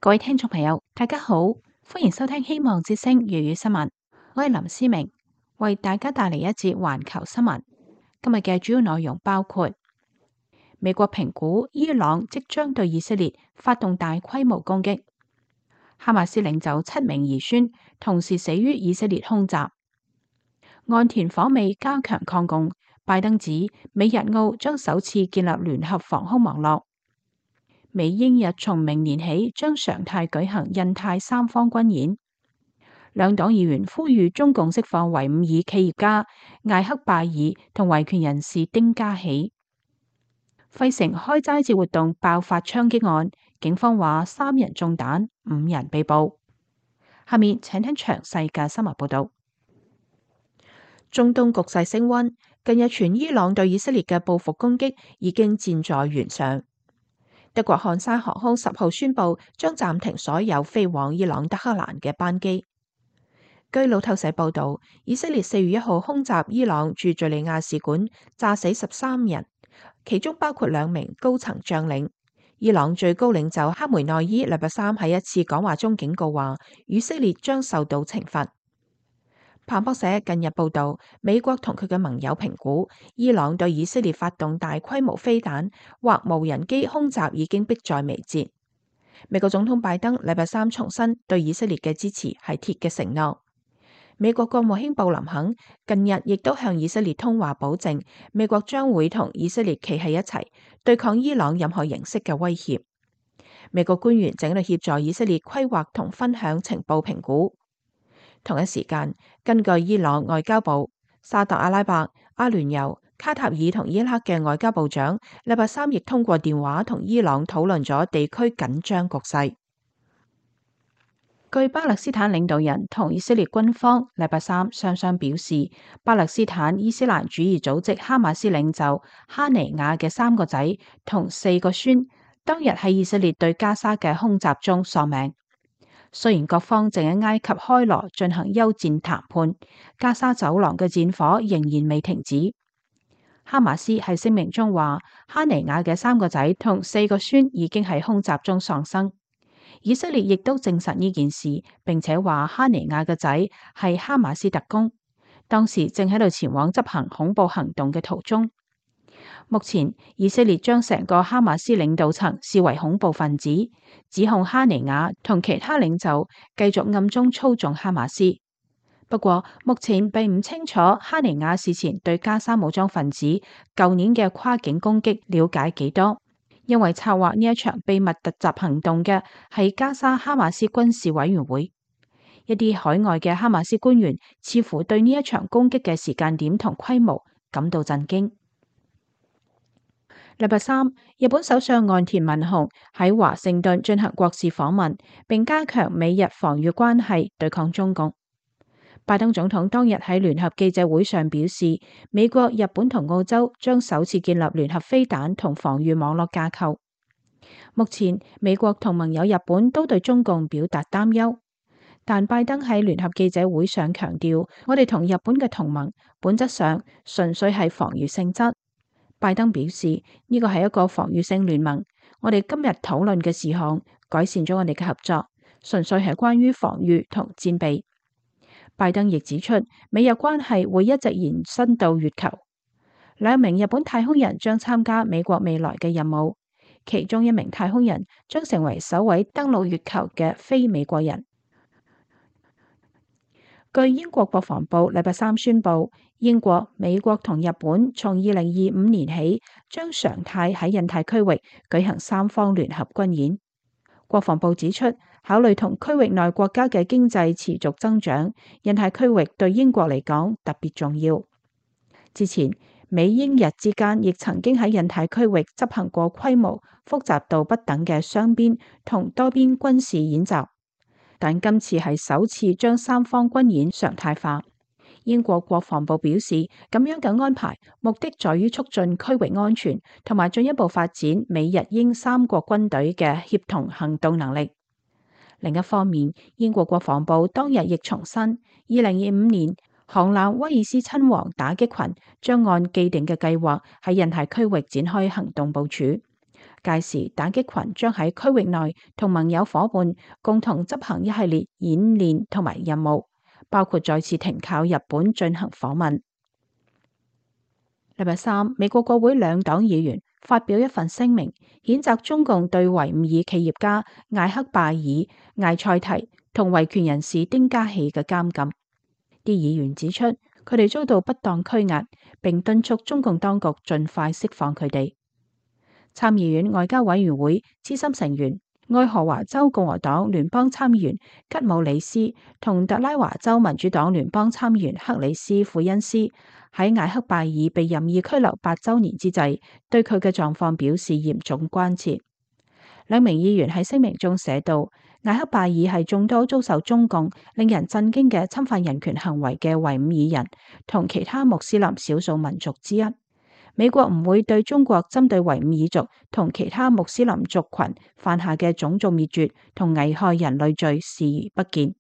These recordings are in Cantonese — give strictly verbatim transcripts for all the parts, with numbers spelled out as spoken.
各位聽眾朋友，大家好，歡迎收聽希望之聲粵語新聞。我係林思明，為大家帶嚟一節環球新聞。今日嘅主要內容包括：美國評估伊朗即將對以色列發動大規模攻擊；哈馬斯領袖七名兒孫同時死於以色列空襲；岸田訪美加強抗共；拜登指美日澳將首次建立聯合防空網絡。美英日從明年起將常態舉行印太三方軍演。兩黨議員呼籲中共釋放維吾爾企業家艾克拜爾同維權人士丁家喜。費城開齋節活動爆發槍擊案，警方話三人中彈，五人被捕。下面請聽詳細嘅新聞報道。中東局勢升溫，近日傳伊朗對以色列嘅報復攻擊已經箭在弦上。德國漢莎航空十號宣布將暫停所有飛往伊朗德黑蘭嘅班機。據路透社報道，以色列四月一號空襲伊朗駐敘利亞使館，炸死十三人，其中包括兩名高層將領。伊朗最高領袖哈梅內伊禮拜三喺一次講話中警告話，以色列將受到懲罰。彭博社近日報道，美國同佢嘅盟友評估，伊朗對以色列發動大規模飛彈或無人機空襲已經迫在眉睫。美國總統拜登禮拜三重申對以色列嘅支持係鐵嘅承諾。美國國務卿布林肯近日亦都向以色列通話，保證美國將會同以色列企喺一齊，對抗伊朗任何形式嘅威脅。美國官員正喺度協助以色列規劃同分享情報評估。同一時間，根據伊朗外交部，沙特阿拉伯、阿聯酋、卡塔爾同伊拉克嘅外交部長禮拜三亦通過電話同伊朗討論咗地區緊張局勢。據巴勒斯坦領導人同以色列軍方禮拜三雙雙表示，巴勒斯坦伊斯蘭主義組織哈馬斯領袖哈尼亞嘅三個仔同四個孫當日喺以色列對加沙嘅空襲中喪命。雖然各方正喺埃及開羅進行休戰談判，加沙走廊嘅戰火仍然未停止。哈馬斯喺聲明中話，哈尼亞嘅三個仔同四個孫已經喺空襲中喪生。以色列亦都證實呢件事，並且話哈尼亞嘅仔係哈馬斯特工，當時正喺度前往執行恐怖行動嘅途中。目前以色列將成個哈馬斯領導層視為恐怖分子，指控哈尼亞同其他領袖繼續暗中操縱哈馬斯。不過目前並唔清楚哈尼亞事前對加沙武裝分子舊年嘅跨境攻擊了解幾多，因為策劃呢一場秘密突襲行動嘅係加沙哈馬斯軍事委員會。一啲海外嘅哈馬斯官員似乎對呢一場攻擊嘅時間點同規模感到震驚。禮拜三，日本首相岸田文雄喺華盛頓進行國事訪問，並加強美日防禦關係，對抗中共。拜登總統當日喺聯合記者會上表示，美國、日本同澳洲將首次建立聯合飛彈同防禦網絡架構。目前，美國同盟友日本都對中共表達擔憂，但拜登喺聯合記者會上強調，我哋同日本嘅同盟本質上純粹係防禦性質。拜登表示，呢個係一個防禦性聯盟，我哋今日討論嘅事項改善咗我哋嘅合作，純粹係關於防禦同戰備。拜登亦指出，美日關係會一直延伸到月球。兩名日本太空人將參加美國未來嘅任務，其中一名太空人將成為首位登陸月球嘅非美國人。據英國國防部禮拜三宣布，英國、美國同日本從二零二五年起將常態喺印太區域舉行三方聯合軍演。國防部指出，考慮同區域內國家嘅經濟持續增長，印太區域對英國嚟講特別重要。之前，美英日之間亦曾經喺印太區域執行過規模、複雜度不等嘅雙邊同多邊軍事演習。但今次係首次將三方軍演常態化。英國國防部表示，咁樣嘅安排目的在於促進區域安全，同埋進一步發展美日英三國軍隊嘅協同行動能力。另一方面，英國國防部當日亦重申，二零二五年航艦威爾斯親王打擊群將按既定嘅計劃喺印太區域展開行動部署。屆時打擊群將喺區域內同盟友伙伴共同執行一系列演練同埋任務，包括再次停靠日本進行訪問。禮拜三，美國國會兩黨議員發表一份聲明，譴責中共對維吾爾企業家艾克拜爾、艾塞提同維權人士丁家喜嘅監禁。啲議員指出，佢哋遭到不當拘押，並敦促中共當局盡快釋放佢哋。參議院外交委員會資深成員、愛荷華州共和黨聯邦參議員吉姆里斯同特拉華州民主黨聯邦參議員克里斯庫恩斯喺艾克拜爾被任意拘留八週年之際，對佢嘅狀況表示嚴重關切。兩名議員喺聲明中寫道，艾克拜爾係眾多遭受中共令人震驚嘅侵犯人權行為嘅維吾爾人同其他穆斯林少數民族之一。美國唔會對中國針對維吾爾族同其他穆斯林族群犯下嘅種族滅絕同危害人類罪視而不見。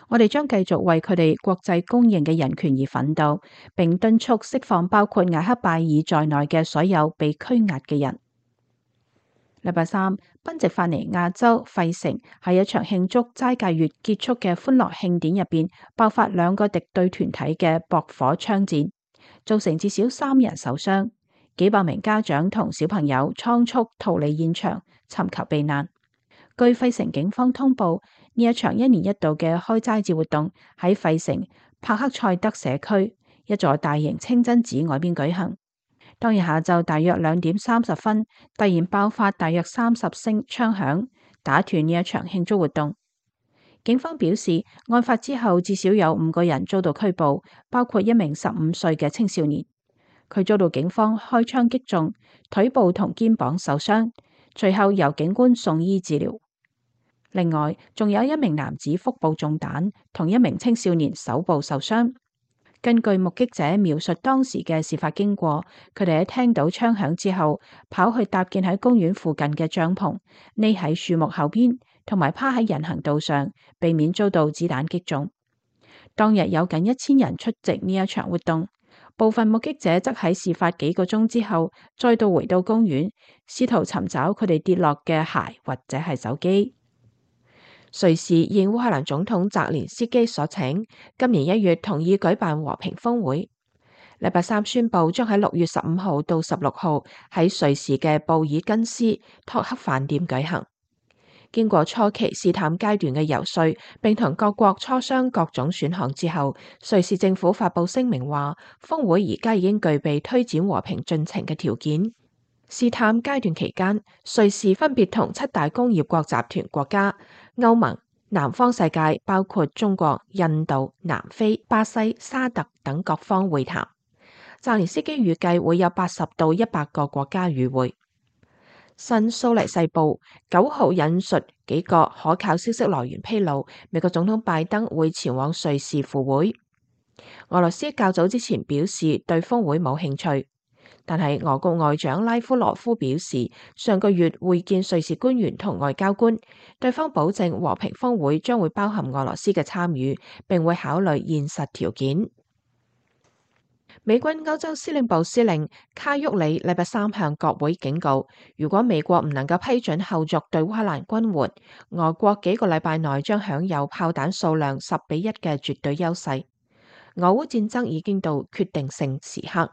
我哋將繼續為佢哋國際公認嘅人權而奮鬥，並敦促釋放包括艾克拜爾在內嘅所有被拘押嘅人。禮拜三，賓夕法尼亞州費城喺一場慶祝齋戒月結束嘅歡樂慶典入邊，爆發兩個敵對團體嘅駁火槍戰，造成至少三人受傷。幾百名家長同小朋友倉促逃離現場，尋求避難。據費城警方通報，呢一場一年一度嘅開齋節活動喺費城帕克塞德社區一座大型清真寺外邊舉行。當日下晝大約兩點三十分，突然爆發大約三十聲槍響，打斷呢一場慶祝活動。警方表示，案發之後至少有五個人遭到拘捕，包括一名十五歲嘅青少年。佢遭到警方開槍擊中，腿部同肩膀受傷，隨後由警官送醫治療。另外，仲有一名男子腹部中彈，同一名青少年手部受傷。根據目擊者描述當時嘅事發經過，佢哋喺聽到槍響之後，跑去搭建喺公園附近嘅帳篷，匿喺樹木後邊，同埋趴喺人行道上，避免遭到子彈擊中。當日有近一千人出席呢一場活動。部分目擊者則喺事發幾個鐘之後，再度回到公園，試圖尋找佢哋跌落嘅鞋或者係手機。瑞士應烏克蘭總統澤連斯基所請，今年一月同意舉辦和平峰會。禮拜三宣布將喺六月十五號到十六號喺瑞士嘅布爾根斯托克飯店舉行。經過初期試探階段嘅游說，並同各國磋商各種選項之後，瑞士政府發佈聲明話，峰會而家已經具備推展和平進程嘅條件。試探階段期間，瑞士分別同七大工業國集團國家、歐盟、南方世界包括中國、印度、南非、巴西、沙特等各方會談。澤連斯基預計會有八十到一百個國家與會。新蘇黎世報九號引述幾個可靠消息來源披露，美國總統拜登會前往瑞士赴會。俄羅斯較早之前表示對峰會冇興趣，但係俄國外長拉夫羅夫表示，上個月會見瑞士官員同外交官，對方保證和平峰會將會包含俄羅斯嘅參與，並會考慮現實條件。美軍歐洲司令部司令卡沃里禮拜三向國會警告，如果美國唔能夠批准後續對烏克蘭軍援，俄國幾個禮拜內將享有炮彈數量十比一嘅絕對優勢。俄烏戰爭已經到決定性時刻。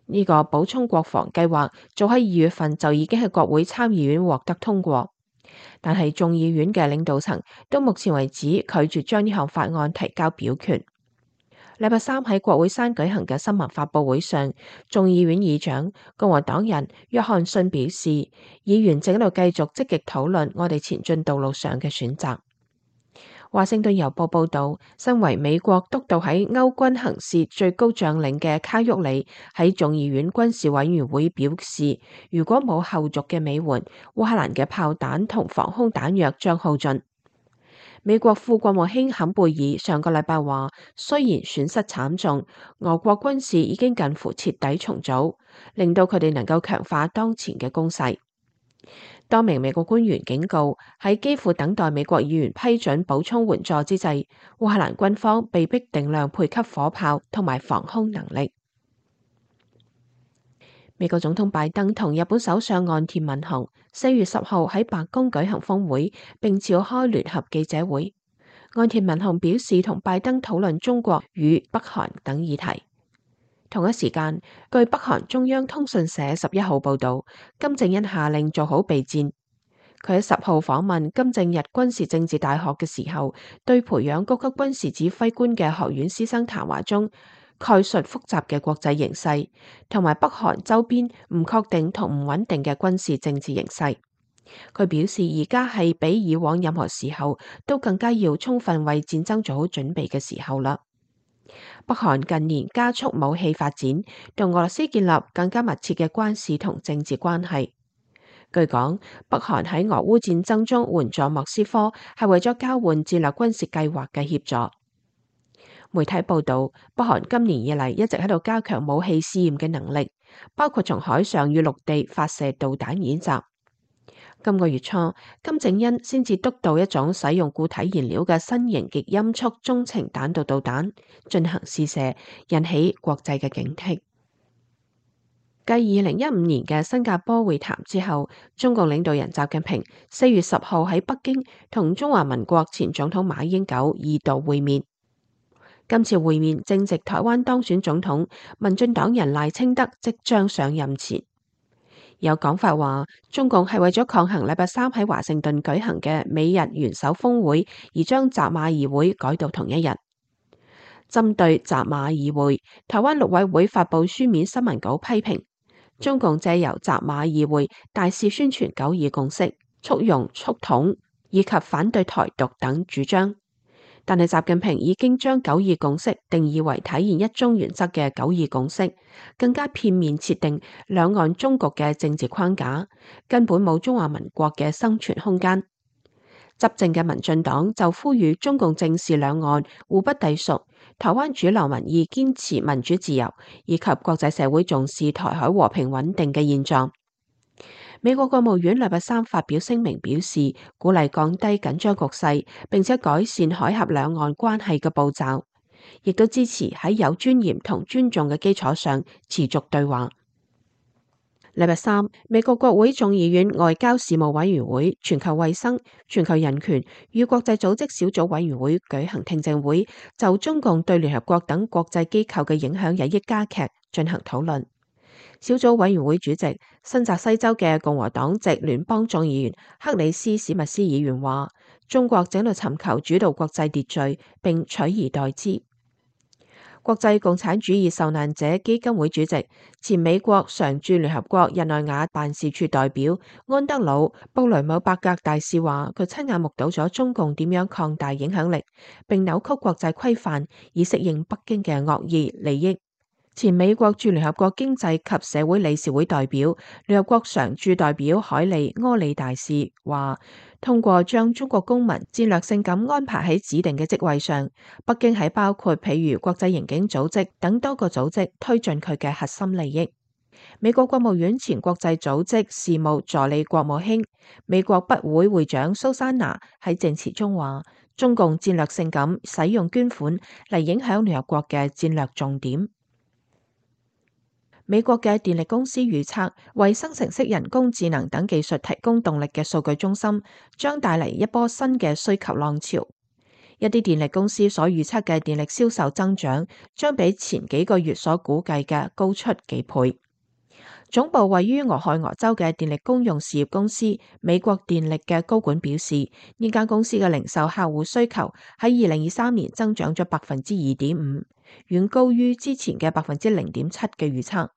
呢、這個補充國防計劃早喺二月份就已經喺國會參議院獲得通過，但係眾議院嘅領導層到目前為止拒絕將呢項法案提交表決。禮拜三喺國會山舉行嘅新聞發佈會上，眾議院議長共和黨人約翰遜表示，議員正喺度繼續積極討論我哋前進道路上嘅選擇。華盛頓郵報報道，身為美國督導喺歐軍行事最高將領嘅卡沃里喺眾議院軍事委員會表示，如果冇後續嘅美援，烏克蘭嘅炮彈同防空彈藥將耗盡。美國副國務卿坎貝爾上個禮拜話，雖然損失慘重，俄國軍事已經近乎徹底重組，令到佢哋能夠強化當前嘅攻勢。多名美國官員警告，喺幾乎等待美國議員批准補充援助之際，烏克蘭軍方被迫定量配給火炮同埋防空能力。美國總統拜登同日本首相岸田文雄四月十號喺白宮舉行峰會，並召開聯合記者會。岸田文雄表示同拜登討論中國與北韓等議題。同一時間，據北韓中央通訊社十一號報道，金正恩下令做好備戰。佢喺十號訪問金正日軍事政治大學嘅時候，對培養高級軍事指揮官嘅學院師生談話中，概述複雜嘅國際形勢，同埋北韓周邊唔確定同唔穩定嘅軍事政治形勢。佢表示，而家係比以往任何時候都更加要充分為戰爭做好準備嘅時候啦。北韓近年加速武器發展，同俄羅斯建立更加密切嘅軍事同政治關係。據講，北韓喺俄烏戰爭中援助莫斯科，係為咗交換戰略軍事計劃嘅協助。媒體報道，北韓今年以嚟一直喺度加強武器試驗嘅能力，包括從海上與陸地發射導彈演習。今個月初，金正恩先至督導一種使用固體燃料嘅新型極音速中程彈道導彈進行試射，引起國際嘅警惕。繼二零一五年嘅新加坡會談之後，中共領導人習近平四月十號喺北京同中華民國前總統馬英九二度會面。今次會面正值台灣當選總統民進黨人賴清德即將上任前。有講法話，中共係為咗抗衡禮拜三喺華盛頓舉行嘅美日元首峰會，而將習馬二會改到同一日。針對習馬二會，台灣陸委會發布書面新聞稿批評，中共借由習馬二會大肆宣傳九二共識、促融促統以及反對台獨等主張。但係習近平已經將九二共識定義為體現一中原則嘅九二共識，更加片面設定兩岸終局嘅政治框架，根本冇中華民國嘅生存空間。執政嘅民進黨就呼籲中共正視兩岸互不隸屬，台灣主流民意堅持民主自由，以及國際社會重視台海和平穩定嘅現狀。美國國務院禮拜三發表聲明表示，鼓勵降低緊張局勢，並且改善海峽兩岸關係嘅步驟，亦都支持喺有尊嚴同尊重嘅基礎上持續對話。禮拜三，美國國會眾議院外交事務委員會、全球衛生、全球人權與國際組織小組委員會舉行聽證會，就中共對聯合國等國際機構嘅影響日益加劇進行討論。小組委員會主席、新澤西州嘅共和黨籍聯邦眾議員克里斯史密斯議員話：中國正喺度尋求主導國際秩序，並取而代之。國際共產主義受難者基金會主席、前美國常駐聯合國日內瓦辦事處代表安德魯布雷姆伯格大使話：佢親眼目睹咗中共點樣擴大影響力，並扭曲國際規範，以適應北京嘅惡意利益。前美國駐聯合國經濟及社會理事會代表、聯合國常駐代表海利柯里大使話：通過將中國公民戰略性咁安排喺指定嘅職位上，北京喺包括譬如國際刑警組織等多個組織推進佢嘅核心利益。美國國務院前國際組織事務助理國務卿、美國筆會會長蘇珊娜喺證詞中話：中共戰略性咁使用捐款嚟影響聯合國嘅戰略重點。美國嘅電力公司預測，為生成式人工智能等技術提供動力嘅數據中心將帶嚟一波新嘅需求浪潮。一啲電力公司所預測嘅電力銷售增長將比前幾個月所估計嘅高出幾倍。總部位於俄亥俄州嘅電力公用事業公司美國電力嘅高管表示，呢間公司嘅零售客戶需求喺二零二三年增長咗百分之二點五，遠高於之前嘅百分之零點七嘅預測。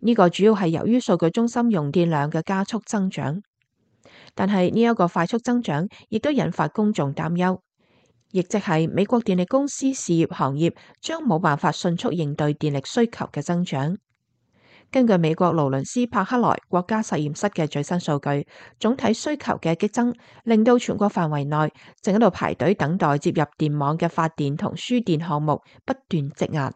呢個主要係由於數據中心用電量嘅加速增長，但係呢一個快速增長亦都引發公眾擔憂，亦即係美國電力公司事業行業將冇辦法迅速應對電力需求嘅增長。根據美國勞倫斯帕克萊國家實驗室嘅最新數據，總體需求嘅激增令到全國範圍內正喺度排隊等待接入電網嘅發電同輸電項目不斷積壓。